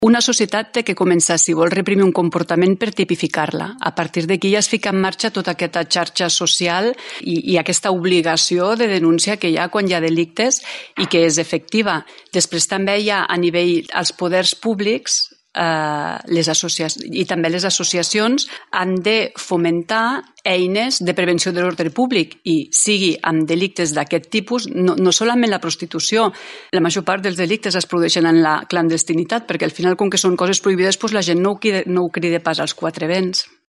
Una societat té que començar, si vol reprimir un comportament, per tipificar-la. A partir d'aquí ja es fica en marxa tota aquesta xarxa social i aquesta obligació de denúncia que hi ha quan hi ha delictes i que és efectiva. Després també hi ha a nivell als poders públics i també les associacions han de fomentar eines de prevenció de l'ordre públic i sigui amb delictes d'aquest tipus, no solament la prostitució. La major part dels delictes es produeixen en la clandestinitat perquè al final, com que són coses prohibides, la gent no ho crida pas als quatre vents.